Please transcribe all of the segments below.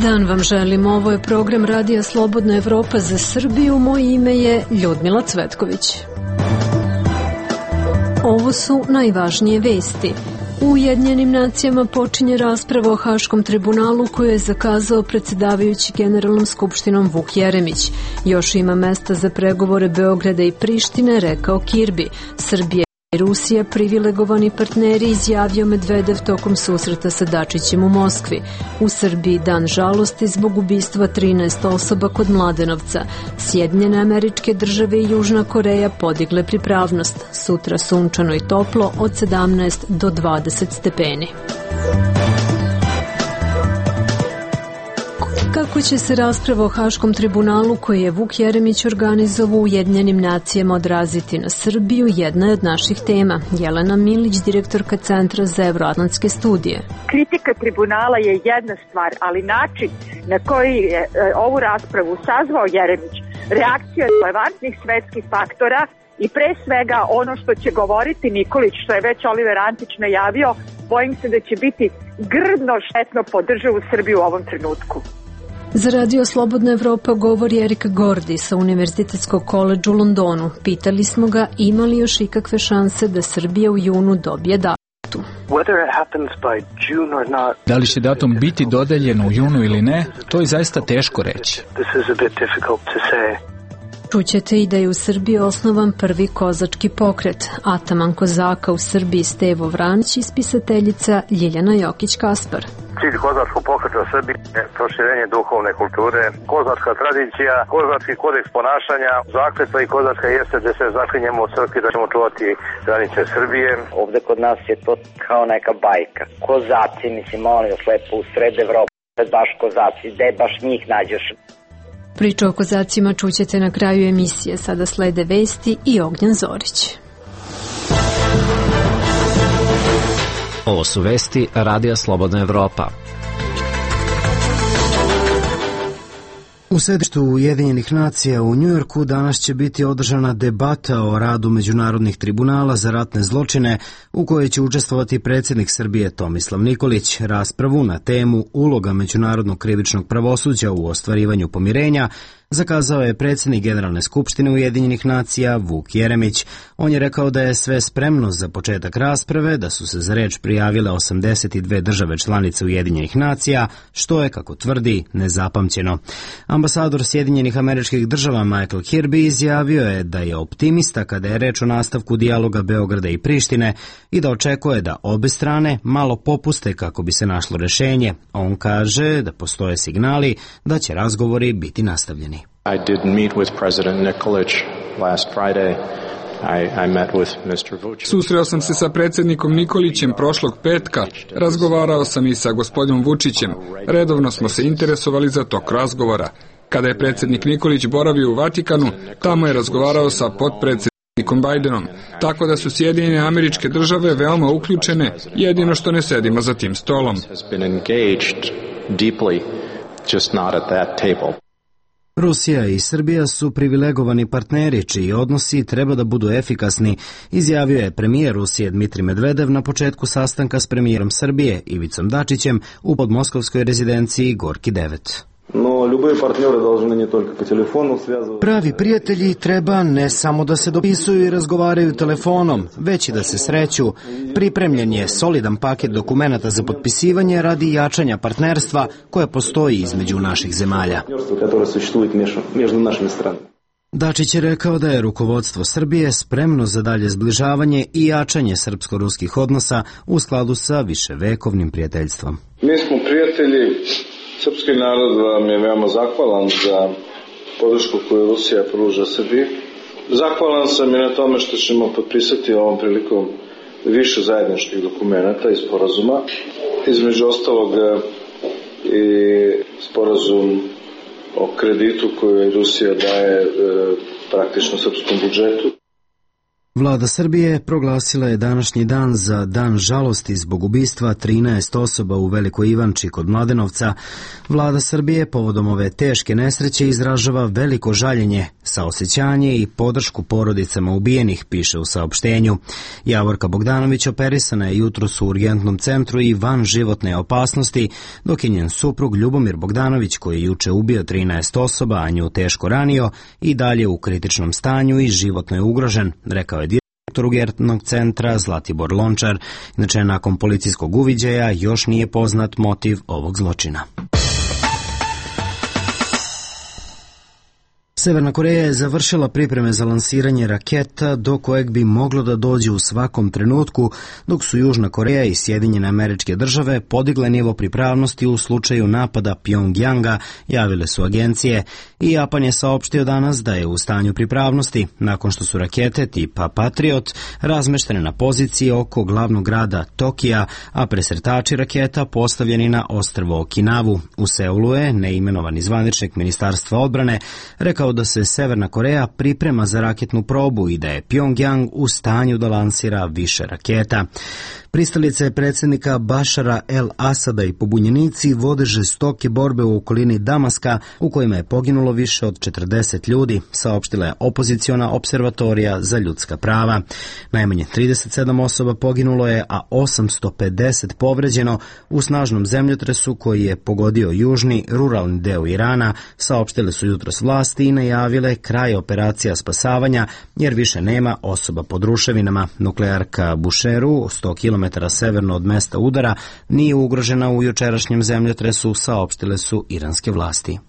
Dan vam želim, ovo je program Radija Slobodna Evropa za Srbiju, moje ime je Ljudmila Cvetković. Ovo su najvažnije vesti. U Ujedinjenim nacijama počinje rasprava o Haškom tribunalu koju je zakazao predsjedavajući Generalnom skupštinom Vuk Jeremić. Još ima mesta za pregovore Beograda i Prištine, rekao Kirbi. Srbija i Rusija privilegovani partneri, izjavio Medvedev tokom susreta sa Dačićem u Moskvi. U Srbiji dan žalosti zbog ubistva 13 osoba kod Mladenovca. Sjedinjene Američke Države i Južna Koreja podigle pripravnost. Sutra sunčano i toplo od 17 do 20 stepeni. Kako će se rasprava o Haškom tribunalu koji je Vuk Jeremić organizovao u Ujedinjenim nacijama odraziti na Srbiju, jedna je od naših tema. Jelena Milić, direktorka Centra za evroatlantske studije. Kritika tribunala je jedna stvar, ali način na koji je ovu raspravu sazvao Jeremić, reakcija relevantnih svetskih faktora i pre svega ono što će govoriti Nikolić, što je već Oliver Antić najavio, bojim se da će biti grdno štetno po državu Srbiju u ovom trenutku. Za Radio Slobodna Evropa govori Erika Gordi sa Univerzitetskog koledža u Londonu. Pitali smo ga ima li još ikakve šanse da Srbija u junu dobije datum. Da li će datum biti dodeljen u junu ili ne, to je zaista teško reći. Čućete i da je u Srbiji osnovan prvi kozački pokret. Ataman kozaka u Srbiji Stevo Vranić i spisateljica Ljiljana Jokić-Kaspar. Cilj kozačkog pokreta u Srbiji je proširenje duhovne kulture, kozačka tradicija, kozački kodeks ponašanja, zakletva i kozačka jeste da se zaklinjemo u crkvi da ćemo čuvati granice Srbije. Ovde kod nas je to kao neka bajka. Kozaci, mislim, molim vas lepo, u sred Evrope, baš kozaci, gde baš njih nađeš? Priču o kozacima čućete na kraju emisije. Sada slede vesti i Ognjan Zorić. Ovo su vesti Radija Slobodna Evropa. U sedištu Ujedinjenih nacija u Njujorku danas će biti održana debata o radu međunarodnih tribunala za ratne zločine u kojoj će učestvovati predsjednik Srbije Tomislav Nikolić. Raspravu na temu uloga međunarodnog krivičnog pravosuđa u ostvarivanju pomirenja zakazao je predsjednik Generalne skupštine Ujedinjenih nacija Vuk Jeremić. On je rekao da je sve spremno za početak rasprave, da su se za reč prijavile 82 države članice Ujedinjenih nacija, što je, kako tvrdi, nezapamćeno. Ambasador Sjedinjenih Američkih Država Michael Kirby izjavio je da je optimista kada je reč o nastavku dijaloga Beograda i Prištine i da očekuje da obe strane malo popuste kako bi se našlo rešenje. On kaže da postoje signali da će razgovori biti nastavljeni. I did meet with President Nikolić last Friday. I met with Mr. Vučić. Susreo sam se sa predsjednikom Nikolićem prošlog petka. Razgovarao sam i sa gospodinom Vučićem. Redovno smo se interesovali za tok razgovora. Kada je predsjednik Nikolić boravio u Vatikanu, tamo je razgovarao sa potpredsjednikom Bajdenom. Tako da su Sjedinjene Američke Države veoma uključene, jedino što ne sedimo za tim stolom. Rusija i Srbija su privilegovani partneri čiji odnosi treba da budu efikasni, izjavio je premijer Rusije Dmitrij Medvedev na početku sastanka s premijerom Srbije Ivicom Dačićem u podmoskovskoj rezidenciji Gorki 9. Pravi prijatelji treba ne samo da se dopisuju i razgovaraju telefonom, već i da se sreću. Pripremljen je solidan paket dokumenata za potpisivanje radi jačanja partnerstva koje postoji između naših zemalja. Dačić je rekao da je rukovodstvo Srbije spremno za dalje zbližavanje i jačanje srpsko-ruskih odnosa u skladu sa viševekovnim prijateljstvom. Mi smo prijatelji. Srpski narod vam je veoma zahvalan za podršku koju Rusija pruža Srbiji. Zahvalan sam i na tome što ćemo potpisati ovom prilikom više zajedničkih dokumenata i sporazuma. Između ostalog i sporazum o kreditu koju Rusija daje praktično srpskom budžetu. Vlada Srbije proglasila je današnji dan za dan žalosti zbog ubistva 13 osoba u Velikoj Ivanči kod Mladenovca. Vlada Srbije povodom ove teške nesreće izražava veliko žaljenje, saosećanje i podršku porodicama ubijenih, piše u saopštenju. Javorka Bogdanović operisana je jutros u urgentnom centru i van životne opasnosti, dok je njen suprug Ljubomir Bogdanović, koji je juče ubio 13 osoba, a nju teško ranio, i dalje u kritičnom stanju i životno je ugrožen, rekao je direktor urgentnog centra Zlatibor Lončar. Inače, nakon policijskog uviđaja još nije poznat motiv ovog zločina. Severna Koreja je završila pripreme za lansiranje raketa do kojeg bi moglo da dođe u svakom trenutku, dok su Južna Koreja i Sjedinjene Američke Države podigle nivo pripravnosti u slučaju napada Pjongjanga, javile su agencije, i Japan je saopštio danas da je u stanju pripravnosti nakon što su rakete tipa Patriot razmeštene na poziciji oko glavnog grada Tokija, a presretači raketa postavljeni na ostrvo Okinavu. U Seulu je neimenovani zvaničnik Ministarstva odbrane rekao da se Severna Koreja priprema za raketnu probu i da je Pjongjang u stanju da lansira više raketa. Pristalice predsjednika Bašara el-Asada i pobunjenici vode žestoke borbe u okolini Damaska, u kojima je poginulo više od 40 ljudi, saopštila je opoziciona observatorija za ljudska prava. Najmanje 37 osoba poginulo je, a 850 povređeno u snažnom zemljotresu koji je pogodio južni ruralni deo Irana, saopštile su jutros vlasti i najavile kraj operacija spasavanja, jer više nema osoba pod ruševinama. Nuklearka Busheru, 100 km severno od mesta udara, nije ugrožena u jučerašnjem zemljotresu, saopštile su iranske vlasti.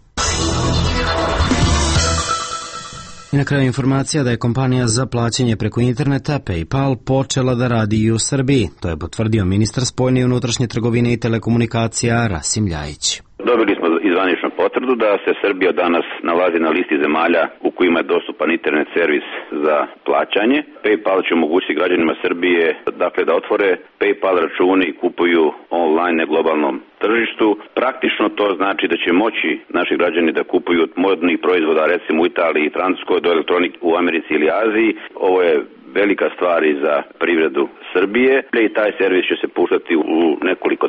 I na kraju informacija da je kompanija za plaćanje preko interneta PayPal počela da radi i u Srbiji. To je potvrdio ministar spoljne i unutrašnje trgovine i telekomunikacija Rasim Ljajić. Dobili smo izvaničnu potvrdu da se Srbija danas nalazi na listi zemalja u kojima je dostupan internet servis za plaćanje. PayPal će omogućiti građanima Srbije da otvore PayPal račune i kupuju online na globalnom tržištu. Praktično to znači da će moći naši građani da kupuju od modnih proizvoda, recimo u Italiji i Francuskoj, do elektronike u Americi ili Aziji. Ovo je velika stvar i za privredu Srbije i taj servis će se puštati u nekoliko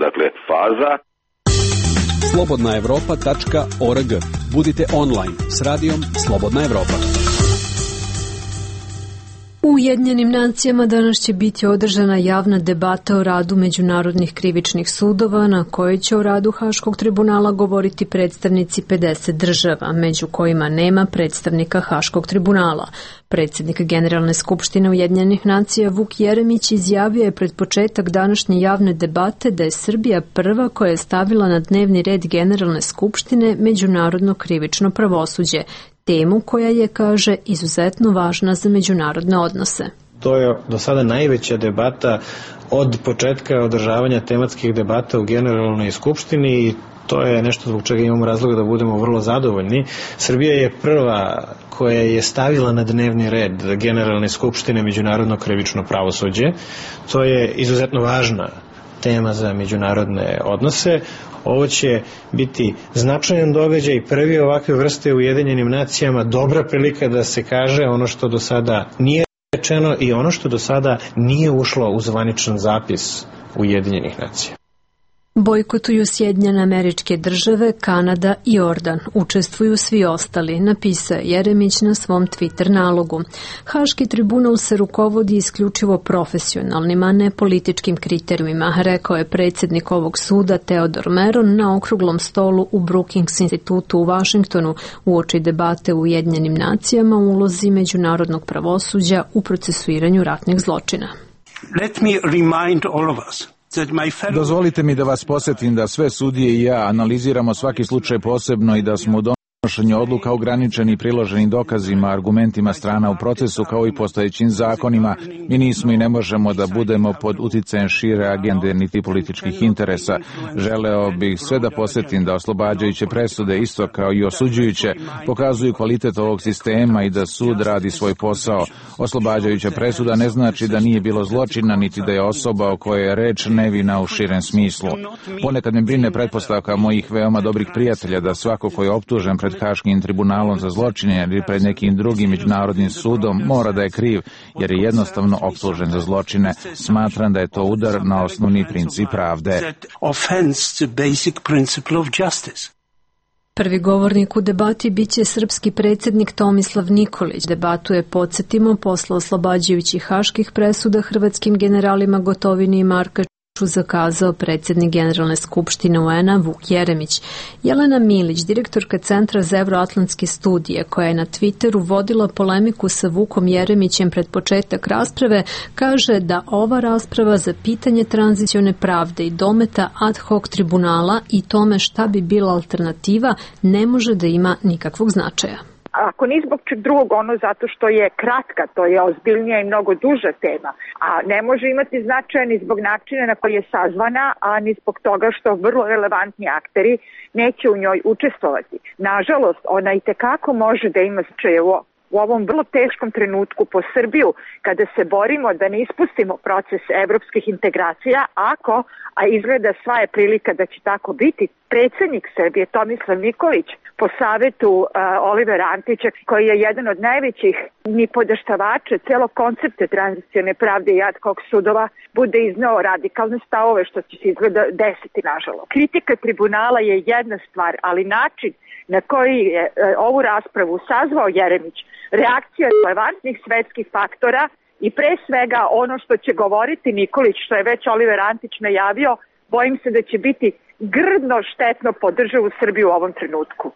faza. slobodnaevropa.org. Budite online s radijom Slobodna Evropa. U Ujedinjenim nacijama danas će biti održana javna debata o radu međunarodnih krivičnih sudova, na kojoj će o radu Haškog tribunala govoriti predstavnici 50 država, među kojima nema predstavnika Haškog tribunala. Predsjednik Generalne skupštine Ujedinjenih nacija Vuk Jeremić izjavio je pred početak današnje javne debate da je Srbija prva koja je stavila na dnevni red Generalne skupštine međunarodno krivično pravosuđe, temu koja je, kaže, izuzetno važna za međunarodne odnose. To je do sada najveća debata od početka održavanja tematskih debata u Generalnoj skupštini i to je nešto zbog čega imamo razloga da budemo vrlo zadovoljni. Srbija je prva koja je stavila na dnevni red Generalne skupštine međunarodno krivično pravosuđe. To je izuzetno važna tema za međunarodne odnose. Ovo će biti značajan događaj, prvi ovakve vrste u Ujedinjenim nacijama, dobra prilika da se kaže ono što do sada nije rečeno i ono što do sada nije ušlo u zvaničan zapis Ujedinjenih nacija. Bojkotuju Sjedinjene Američke Države, Kanada i Jordan. Učestvuju svi ostali, napisao Jeremić na svom Twitter nalogu. Haški tribunal se rukovodi isključivo profesionalnim, a ne političkim kriterijumima, rekao je predsjednik ovog suda Teodor Meron na okruglom stolu u Brookings institutu u Vašingtonu uoči debate u Ujedinjenim nacijama o ulozi međunarodnog pravosuđa u procesuiranju ratnih zločina. Let me remind all of us. Dozvolite mi da vas podsjetim da sve sudije i ja analiziramo svaki slučaj posebno i da smo u donošenju odluka ograničeni i priloženim dokazima, argumentima strana u procesu kao i postojećim zakonima. Mi nismo i ne možemo da budemo pod uticajem šire agende niti političkih interesa. Želeo bih sve da podsjetim da oslobađajuće presude isto kao i osuđujuće pokazuju kvalitet ovog sistema i da sud radi svoj posao. Oslobađajuća presuda ne znači da nije bilo zločina niti da je osoba o kojoj je reč nevina u širem smislu. Ponekad me brine pretpostavka mojih veoma dobrih prijatelja da svako ko je optužen pred pred Haškim tribunalom za zločine ili pred nekim drugim međunarodnim sudom, mora da je kriv, jer je jednostavno optužen za zločine. Smatram da je to udar na osnovni princip pravde. Prvi govornik u debati biće srpski predsjednik Tomislav Nikolić. Debatu je, podsjetimo, posle oslobađajućih haških presuda hrvatskim generalima Gotovini i Markaču zakazao predsjednik Generalne skupštine UN-a Vuk Jeremić. Jelena Milić, direktorka Centra za evroatlantske studije, koja je na Twitteru vodila polemiku sa Vukom Jeremićem pred početak rasprave, kaže da ova rasprava za pitanje tranzicione pravde i dometa ad hoc tribunala i tome šta bi bila alternativa ne može da ima nikakvog značaja. Ako ni zbog čeg drugog, ono zato što je kratka, to je ozbiljnija i mnogo duža tema, a ne može imati značaja ni zbog načina na koji je sazvana, a ni zbog toga što vrlo relevantni akteri neće u njoj učestvovati. Nažalost, ona i tekako može da ima značaja u ovom vrlo teškom trenutku po Srbiju, kada se borimo da ne ispustimo proces evropskih integracija, a izgleda sva je prilika da će tako biti, predsjednik Srbije Tomislav Nikolić po savetu Olivera Antića, koji je jedan od najvećih nipodaštavača celog koncepta tranzicione pravde i ad hoc sudova, bude izneo radikalne stavove, što će se izgleda desiti, nažalost. Kritika tribunala je jedna stvar, ali način na koji je ovu raspravu sazvao Jeremić, reakcija relevantnih svetskih faktora i pre svega ono što će govoriti Nikolić, što je već Oliver Antić najavio, bojim se da će biti grdno štetno po državu Srbiju u ovom trenutku.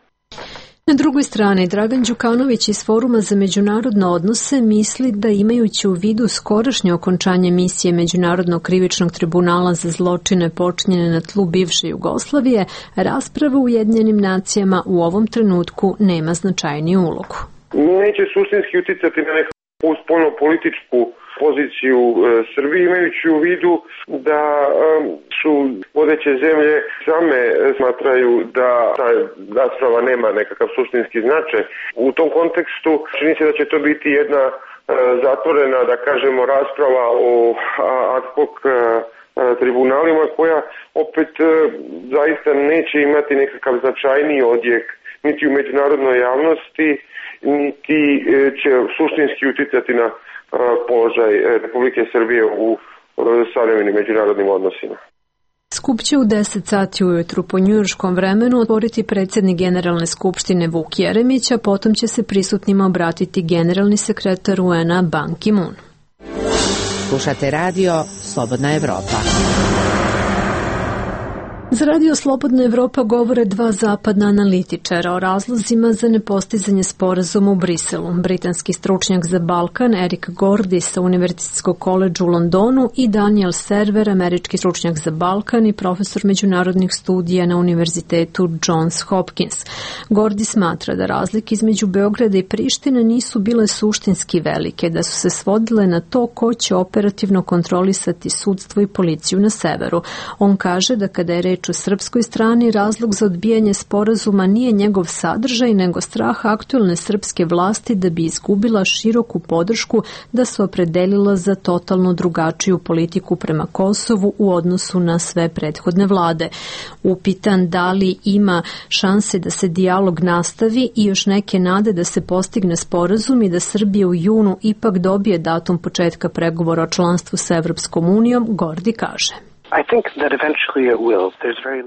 Na drugoj strani, Dragan Đukanović iz Foruma za međunarodne odnose misli da, imajući u vidu skorašnje okončanje misije Međunarodnog krivičnog tribunala za zločine počinjene na tlu bivše Jugoslavije, rasprava u Ujedinjenim nacijama u ovom trenutku nema značajniju ulogu. Neće suštinski uticati na neku spoljno-političku poziciju Srbije, imajući u vidu da su vodeće zemlje same smatraju da ta rasprava nema nekakav suštinski značaj. U tom kontekstu čini se da će to biti jedna zatvorena, da kažemo, rasprava o ad hoc tribunalima, koja opet zaista neće imati nekakav značajniji odjek niti u međunarodnoj javnosti, niti će suštinski uticati na položaj Republike Srbije u savremenim međunarodnim odnosima. Skup će u 10 sati ujutru po njujorškom vremenu otvoriti predsjednik Generalne skupštine Vuk Jeremić, a potom će se prisutnima obratiti generalni sekretar UN-a Ban Ki-moon. Slušate radio Slobodna Evropa. Za radio Slobodna Evropa govore dva zapadna analitičara o razlozima za nepostizanje sporazuma u Briselu. Britanski stručnjak za Balkan Eric Gordy sa Univerzitetskog koledža u Londonu i Daniel Server, američki stručnjak za Balkan i profesor međunarodnih studija na Univerzitetu Johns Hopkins. Gordy smatra da razlike između Beograda i Prištine nisu bile suštinski velike, da su se svodile na to ko će operativno kontrolisati sudstvo i policiju na severu. On kaže da kada je reč u srpskoj strani, razlog za odbijanje sporazuma nije njegov sadržaj, nego strah aktuelne srpske vlasti da bi izgubila široku podršku da se opredelila za totalno drugačiju politiku prema Kosovu u odnosu na sve prethodne vlade. Upitan da li ima šanse da se dijalog nastavi i još neke nade da se postigne sporazum i da Srbija u junu ipak dobije datum početka pregovora o članstvu sa Evropskom unijom, Gordy kaže.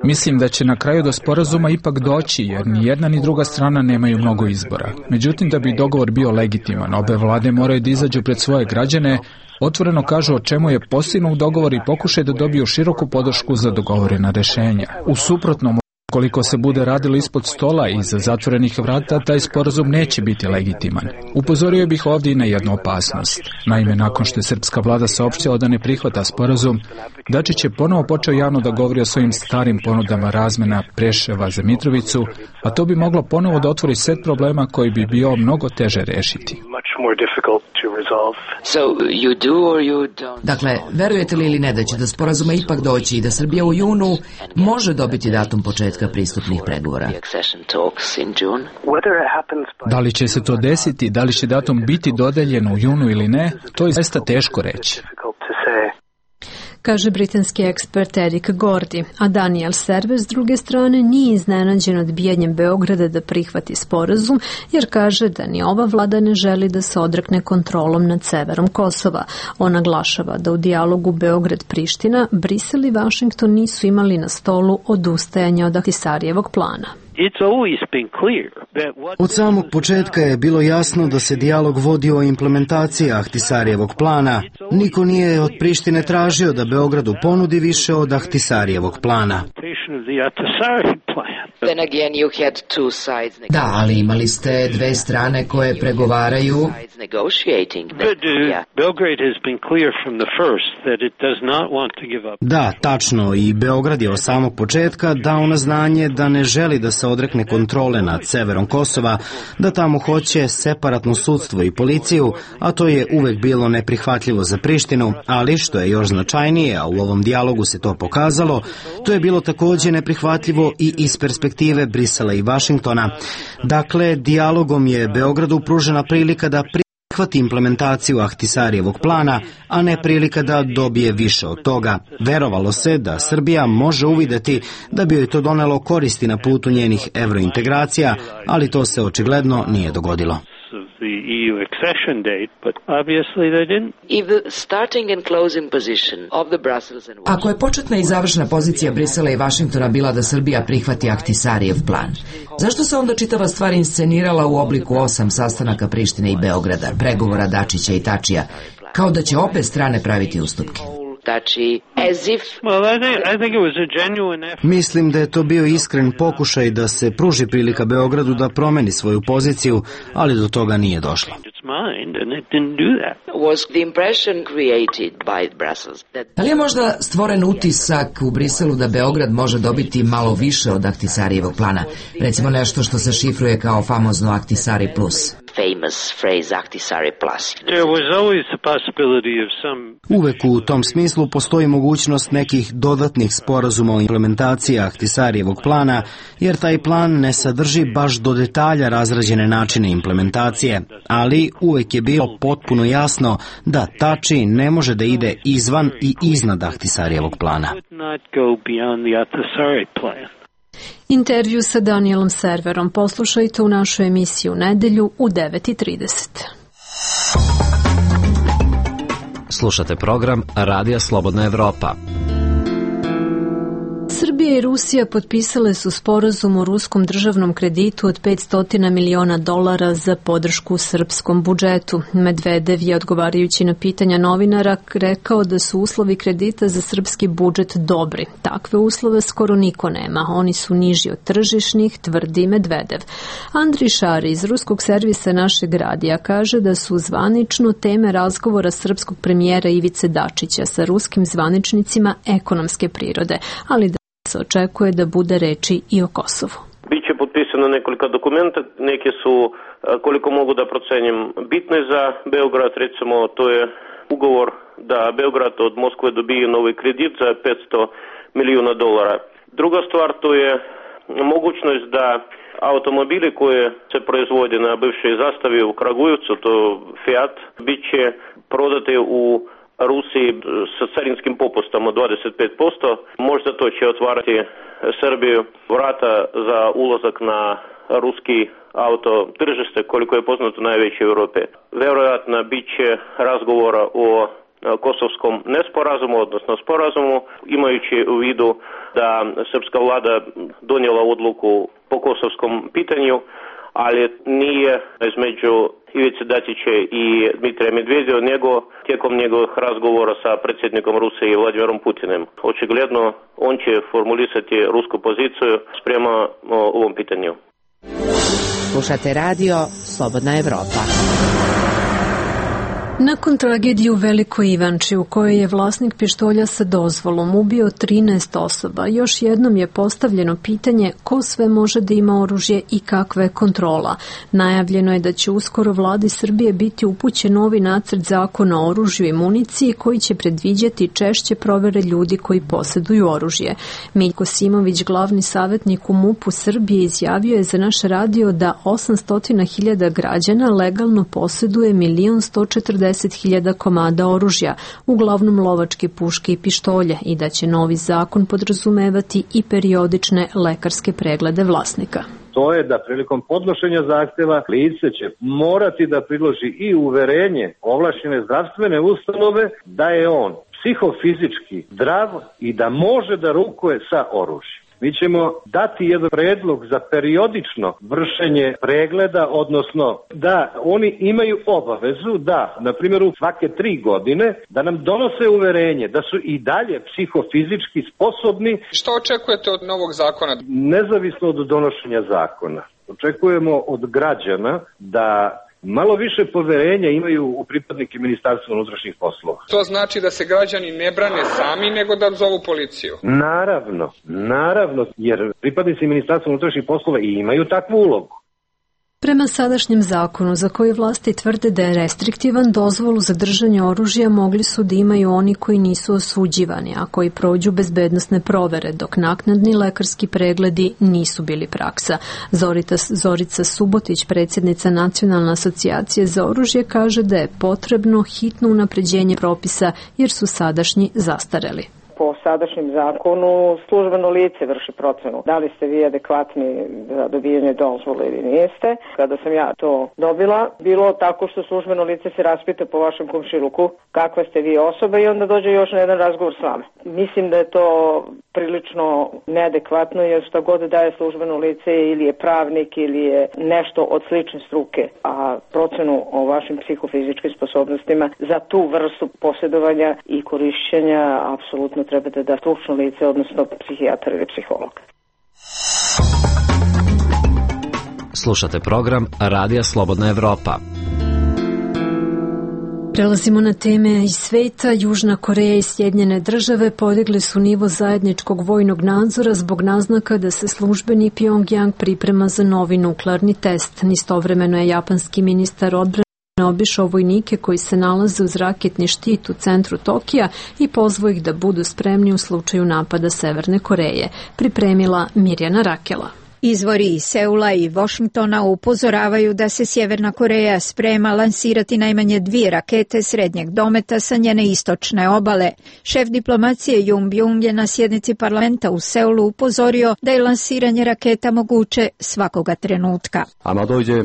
Mislim da će na kraju do sporazuma ipak doći, jer ni jedna ni druga strana nemaju mnogo izbora. Međutim, da bi dogovor bio legitiman, obe vlade moraju da izađu pred svoje građane, otvoreno kažu o čemu je postignut dogovor i pokušaju da dobiju široku podršku za dogovorena rešenja. U suprotnom, koliko se bude radilo ispod stola i iza zatvorenih vrata, taj sporazum neće biti legitiman. Upozorio bih ovdje i na jednu opasnost. Naime, nakon što je srpska vlada saopštila da ne prihvata sporazum, Dačić je ponovo počeo javno da govori o svojim starim ponudama razmena Preševa za Mitrovicu, a to bi moglo ponovo da otvori set problema koji bi bio mnogo teže rešiti. Dakle, verujete li ili ne da će do sporazuma ipak doći i da Srbija u junu može dobiti datum početka pristupnih pregovora? Da li će se to desiti, da li će datum biti dodeljen u junu ili ne, to je zaista teško reći. kaže britanski ekspert Eric Gordy, a Daniel Server s druge strane nije iznenađen odbijanjem Beograda da prihvati sporazum, jer kaže da ni ova vlada ne želi da se odrekne kontrolom nad severom Kosova. On naglašava da u dijalogu Beograd-Priština Brisel i Vašington nisu imali na stolu odustajanje od Ahtisarijevog plana. Od samog početka je bilo jasno da se dijalog vodi o implementaciji Ahtisarijevog plana. Niko nije od Prištine tražio da Beogradu ponudi više od Ahtisarijevog plana. Da, ali imali ste dve strane koje pregovaraju. Da, tačno, i Beograd je od samog početka dao na znanje da ne želi da se odrekne kontrole nad severom Kosova, da tamo hoće separatno sudstvo i policiju, a to je uvek bilo neprihvatljivo za Prištinu, ali što je još značajnije, a u ovom dijalogu se to pokazalo, to je bilo takođe neprihvatljivo i iz perspektive Brisela i Vašingtona. Dakle, dijalogom je Beogradu pružena prilika da prihvati implementaciju Ahtisarijevog plana, a ne prilika da dobije više od toga. Verovalo se da Srbija može uvideti da bi joj to donelo koristi na putu njenih evrointegracija, ali to se očigledno nije dogodilo. Ako je početna i završna pozicija Brisela i Vašingtona bila da Srbija prihvati Ahtisarijev plan, zašto se onda čitava stvar inscenirala u obliku 8 sastanaka Prištine i Beograda, pregovora Dačića i Tačija, kao da će obe strane praviti ustupke? Mislim da je to bio iskren pokušaj da se pruži prilika Beogradu da promeni svoju poziciju, ali do toga nije došlo. Da li je možda stvoren utisak u Briselu da Beograd može dobiti malo više od Ahtisarijevog plana? Recimo nešto što se šifruje kao famozno Ahtisari plus. Uvek u tom smislu postoji mogućnost nekih dodatnih sporazuma o implementaciji Ahtisarijevog plana, jer taj plan ne sadrži baš do detalja razrađene načine implementacije, ali uvek je bilo potpuno jasno da Tači ne može da ide izvan i iznad Ahtisarijevog plana. Intervju sa Danielom Serverom poslušajte u našoj emisiji u nedelju u 9:30. Slušate program Radija Slobodna Evropa. Srbija i Rusija potpisale su sporazum o ruskom državnom kreditu od $500 miliona za podršku srpskom budžetu. Medvedev je, odgovarajući na pitanja novinara, rekao da su uslovi kredita za srpski budžet dobri. Takve uslove skoro niko nema. Oni su niži od tržišnih, tvrdi Medvedev. Andri Šari iz ruskog servisa Našeg radija kaže da su zvanično teme razgovora srpskog premijera Ivice Dačića sa ruskim zvaničnicima ekonomske prirode, ali da se očekuje da bude reči i o Kosovu. Biće potpisano nekoliko dokumenta, neke su, koliko mogu da procenim, bitne za Beograd, recimo to je ugovor da Beograd od Moskve dobije novi kredit za $500 miliona. Druga stvar, to je mogućnost da automobili koje se proizvode na bivšoj zastavi u Kragujevcu, to Fiat, bit će prodate u Rusiji sa carinskim popustom od 25%, možda to će otvarati Srbiju vrata za ulazak na ruski auto tržište, koliko je poznato najveće u Europi. Verovatno bit će razgovora o kosovskom nesporazumu, odnosno sporazumu, imajući u vidu da srpska vlada donijela odluku po kosovskom pitanju, ali nije između Ivice Dačića i Dmitrija Medvedeva, nego tijekom njegovih razgovora sa predsjednikom Rusije Vladimirom Putinim. Očigledno on će formulisati rusku poziciju sprema ovom pitanju. Slušate radio Slobodna Evropa. Nakon tragedije u Velikoj Ivanči, u kojoj je vlasnik pištolja sa dozvolom ubio 13 osoba, još jednom je postavljeno pitanje ko sve može da ima oružje i kakva je kontrola. Najavljeno je da će uskoro vladi Srbije biti upućen novi nacrt zakona o oružju i municiji koji će predviđati češće provere ljudi koji posjeduju oružje. Miljko Simović, glavni savjetnik u MUP-u Srbije, izjavio je za naš radio da 800.000 građana legalno posjeduje 1.140.000 60.000 komada oružja, uglavnom lovačke puške i pištolje, i da će novi zakon podrazumevati i periodične lekarske preglede vlasnika. To je da prilikom podnošenja zahteva lice će morati da priloži i uverenje ovlašćene zdravstvene ustanove da je on psihofizički zdrav i da može da rukuje sa oružjem. Mi ćemo dati jedan predlog za periodično vršenje pregleda, odnosno da oni imaju obavezu da, na primjer, svake 3 godine, da nam donose uverenje da su i dalje psihofizički sposobni. Što očekujete od novog zakona? Nezavisno od donošenja zakona. Očekujemo od građana da malo više poverenja imaju u pripadnike Ministarstva unutrašnjih poslova. To znači da se građani ne brane sami, nego da zovu policiju? Naravno, jer pripadnici Ministarstva unutrašnjih poslova i imaju takvu ulogu. Prema sadašnjem zakonu, za koji vlasti tvrde da je restriktivan, dozvolu za držanje oružja mogli su da imaju oni koji nisu osuđivani, a koji prođu bezbednosne provere, dok naknadni lekarski pregledi nisu bili praksa. Zorica Subotić, predsjednica Nacionalne asocijacije za oružje, kaže da je potrebno hitno unapređenje propisa jer su sadašnji zastareli. Po sadašnjem zakonu službeno lice vrši procenu da li ste vi adekvatni za dobijanje dozvole ili niste. Kada sam ja to dobila, bilo tako što službeno lice se raspita po vašem komšiluku kakva ste vi osoba i onda dođe još na jedan razgovor s vama. Mislim da je to prilično neadekvatno jer šta god daje službeno lice ili je pravnik ili je nešto od slične struke, a procenu o vašim psihofizičkim sposobnostima za tu vrstu posjedovanja i korišćenja apsolutno treba da da stručno lice, odnosno psihijatar ili psiholog. Slušate program Radija Slobodna Evropa. Prelazimo na teme iz sveta. Južna Koreja i Sjedinjene države podigli su nivo zajedničkog vojnog nadzora zbog naznaka da se službeni Pyongyang priprema za novi nuklearni test. Istovremeno je japanski ministar odbrane obišao vojnike koji se nalaze uz raketni štit u centru Tokija i pozvao ih da budu spremni u slučaju napada Severne Koreje. Pripremila Mirjana Rakela. Izvori iz Seula i Washingtona upozoravaju da se Sjeverna Koreja sprema lansirati najmanje 2 rakete srednjeg dometa sa njene istočne obale. Šef diplomacije Jung Byung je na sjednici parlamenta u Seulu upozorio da je lansiranje raketa moguće svakoga trenutka.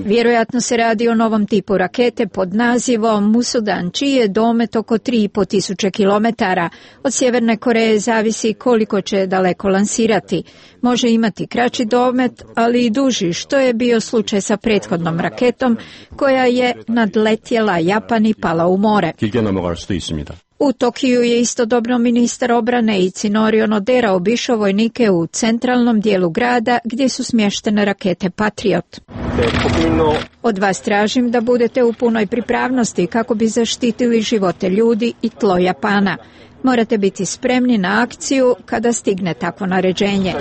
Vjerojatno se radi o novom tipu rakete pod nazivom Musudan, čiji je domet oko 3.500 kilometara. Od Sjeverne Koreje zavisi koliko će daleko lansirati. Može imati kraći domet, ali i duži, što je bio slučaj sa prethodnom raketom koja je nadletjela Japan i pala u more. U Tokiju je istodobno ministar obrane Itsunori Onodera obišao vojnike u centralnom dijelu grada gdje su smještene rakete Patriot. Od vas tražim da budete u punoj pripravnosti kako bi zaštitili živote ljudi i tlo Japana. Morate biti spremni na akciju kada stigne takvo naređenje.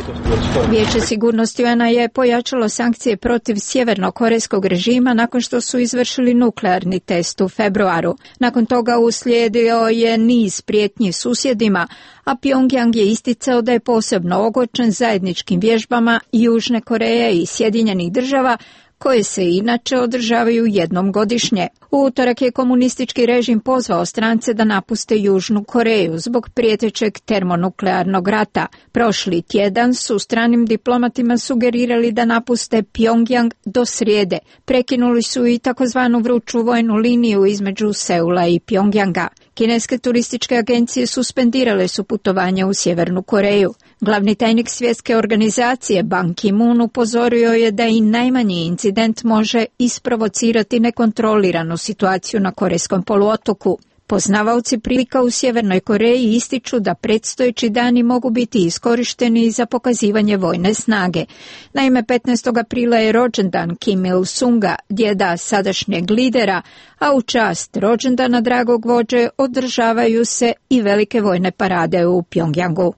Vijeće sigurnosti UN-a je pojačalo sankcije protiv sjevernokorejskog režima nakon što su izvršili nuklearni test u februaru. Nakon toga uslijedio je niz prijetnji susjedima, a Pyongyang je isticao da je posebno ogorčen zajedničkim vježbama Južne Koreje i Sjedinjenih država, koje se inače održavaju jednom godišnje. U utorak je komunistički režim pozvao strance da napuste Južnu Koreju zbog prijetećeg termonuklearnog rata. Prošli tjedan su stranim diplomatima sugerirali da napuste Pyongyang do srijede. Prekinuli su i takozvanu vruću vojnu liniju između Seula i Pyongyanga. Kineske turističke agencije suspendirale su putovanja u Sjevernu Koreju. Glavni tajnik svjetske organizacije Ban Ki-moon upozorio je da i najmanji incident može isprovocirati nekontroliranu situaciju na Korejskom poluotoku. Poznavaoci prilika u Sjevernoj Koreji ističu da predstojeći dani mogu biti iskorišteni za pokazivanje vojne snage. Naime, 15. aprila je rođendan Kim Il-sunga, djeda sadašnjeg lidera, a u čast rođendana dragog vođe održavaju se i velike vojne parade u Pyongyangu.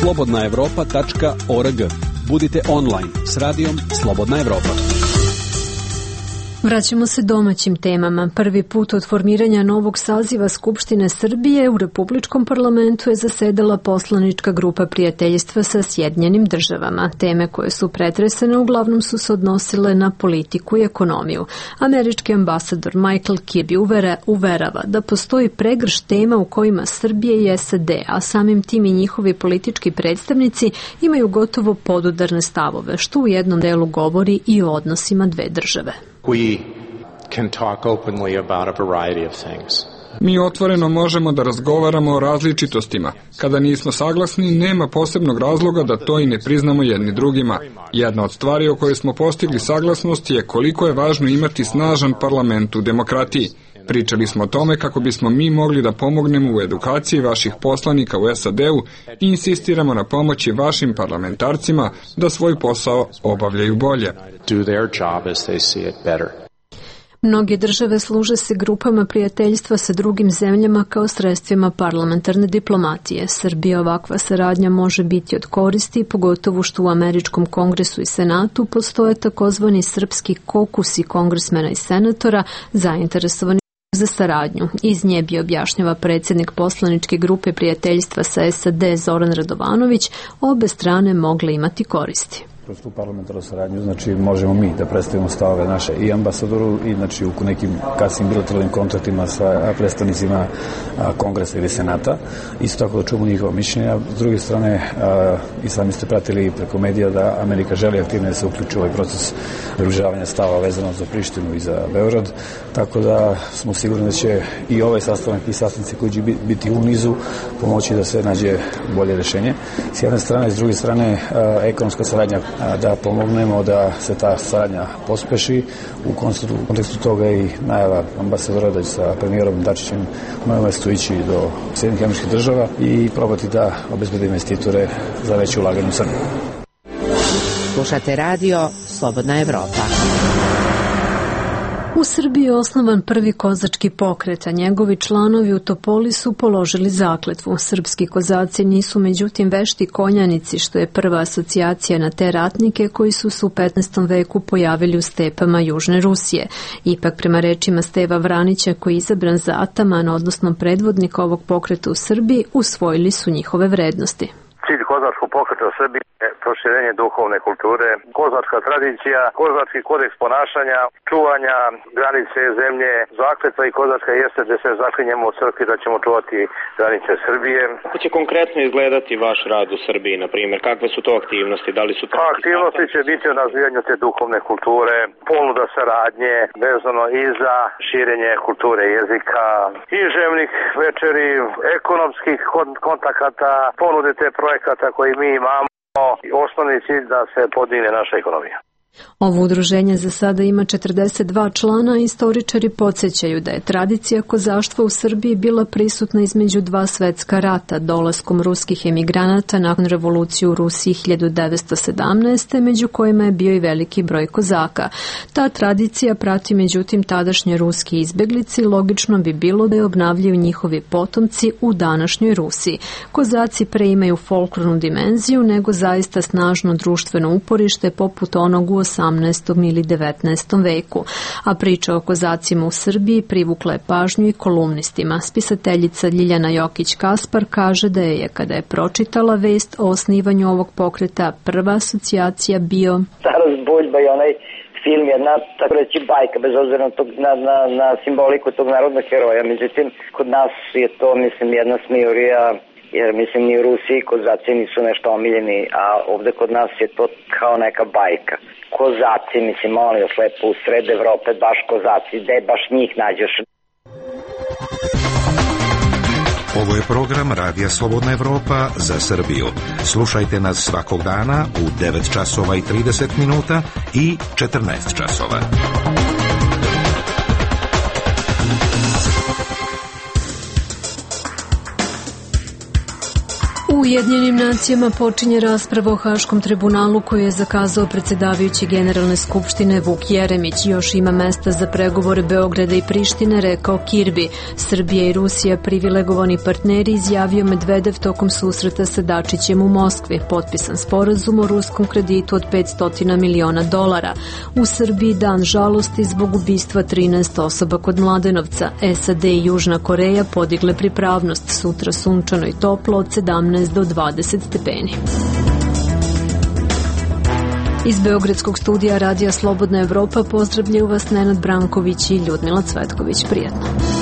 slobodnaevropa.org. Budite online s radijom Slobodna Evropa. Vraćamo se domaćim temama. Prvi put od formiranja novog saziva Skupštine Srbije u Republičkom parlamentu je zasedala poslanička grupa prijateljstva sa Sjedinjenim državama. Teme koje su pretresene uglavnom su se odnosile na politiku i ekonomiju. Američki ambasador Michael Kirby uverava da postoji pregršt tema u kojima Srbije i SAD, a samim tim i njihovi politički predstavnici imaju gotovo podudarne stavove, što u jednom delu govori i o odnosima dve države. Mi otvoreno možemo da razgovaramo o različitostima. Kada nismo saglasni, nema posebnog razloga da to i ne priznamo jedni drugima. Jedna od stvari o kojoj smo postigli saglasnost je koliko je važno imati snažan parlament u demokratiji. Pričali smo o tome kako bismo mi mogli da pomognemo u edukaciji vaših poslanika u SAD-u i insistiramo na pomoći vašim parlamentarcima da svoj posao obavljaju bolje. Mnoge države služe se grupama prijateljstva sa drugim zemljama kao sredstvima parlamentarne diplomatije. Srbija ovakva saradnja može biti od koristi, pogotovo što u Američkom kongresu i senatu postoje takozvani srpski kokusi kongresmena i senatora zainteresovani za saradnju. Iz nje bi, objašnjava predsjednik poslaničke grupe prijateljstva sa SAD Zoran Radovanović, obe strane mogle imati koristi. Kroz tu parlamentarnu saradnju, znači možemo mi da predstavimo stavove naše i ambasadoru i znači u nekim kasnim bilateralnim kontaktima sa predstavnicima kongresa ili senata. Isto tako da čujemo njihova mišljenja. S druge strane, i sami ste pratili preko medija da Amerika želi aktivno da se uključi u ovaj proces približavanja stava vezano za Prištinu i za Beograd. Tako da smo sigurni da će i ovaj sastanak i sastanci koji će biti u nizu pomoći da se nađe bolje rešenje. S jedne strane, s druge strane, ekonomska saradnja, da pomognemo da se ta saradnja pospeši. U kontekstu toga i najava ambasadora da će sa premijerom Dačićem u novom mestu ići do Sjedinjenih Američkih Država i probati da obezbede investitore za veće ulaganje u Srbiju. Slušate radio Slobodna Evropa. U Srbiji je osnovan prvi kozački pokret, a njegovi članovi u Topoli su položili zakletvu. Srpski kozaci nisu međutim vešti konjanici, što je prva asocijacija na te ratnike koji su se u 15. veku pojavili u stepama Južne Rusije. Ipak, prema rečima Steva Vranića, koji je izabran za ataman, odnosno predvodnika ovog pokreta u Srbiji, usvojili su njihove vrednosti. Cilj kozačkog pokreta u Srbiji je proširenje duhovne kulture, kozačka tradicija, kozački kodeks ponašanja, čuvanja granice zemlje, zakletva i kozačka jeste da se zaklinjemo u crkvi da ćemo čuvati granice Srbije. Kako će konkretno izgledati vaš rad u Srbiji, na primjer? Kakve su to aktivnosti? Da li su to aktivnosti će biti o razvijanju te duhovne kulture, ponuda saradnje, vezano i za širenje kulture jezika, književnih večeri, ekonomskih kontakata, ponude te projekata koji mi imamo, i osnovni cilj da se podigne naša ekonomija. Ovo udruženje za sada ima 42 člana i istoričari podsjećaju da je tradicija kozaštva u Srbiji bila prisutna između dva svetska rata, dolaskom ruskih emigranata nakon revolucije u Rusiji 1917. među kojima je bio i veliki broj kozaka. Ta tradicija prati međutim tadašnje ruske izbeglice i logično bi bilo da je obnavljaju njihovi potomci u današnjoj Rusiji. Kozaci pre imaju folklornu dimenziju nego zaista snažno društveno uporište poput onog u 18. ili 19. veku, a priča o kozacima u Srbiji privukla je pažnju i kolumnistima. Spisateljica Ljiljana Jokić-Kaspar kaže da je, kada je pročitala vest o osnivanju ovog pokreta, prva asocijacija bio Taras Buljba i onaj film, jedna, tako reći, bajka, bez obzira na simboliku tog narodnog heroja. Međutim, kod nas je to, mislim, jedna smijurija, jer mislim ni u Rusiji kozaci nisu nešto omiljeni, a ovde kod nas je to kao neka bajka. Kozaci, mislim, molim vas lepo, u sred Evrope baš kozaci, gde baš njih nađeš. Ovo je program Radija Slobodna Evropa za Srbiju. Slušajte nas svakog dana u 9 časova i 30 minuta i 14 časova. U U Ujedinjenim nacijama počinje rasprava o Haškom tribunalu koju je zakazao predsjedavajući Generalne skupštine Vuk Jeremić. Još ima mesta za pregovore Beograda i Prištine, rekao Kirbi. Srbija i Rusija privilegovani partneri, izjavio Medvedev tokom susreta sa Dačićem u Moskvi. Potpisan sporazum o ruskom kreditu od $500 miliona. U Srbiji dan žalosti zbog ubistva 13 osoba kod Mladenovca. SAD i Južna Koreja podigle pripravnost. Sutra sunčano i toplo od 17 do 20 stepeni. Iz Beogradskog studija Radija Slobodna Evropa pozdravljaju vas Nenad Branković i Ljudmila Cvetković. Prijetno.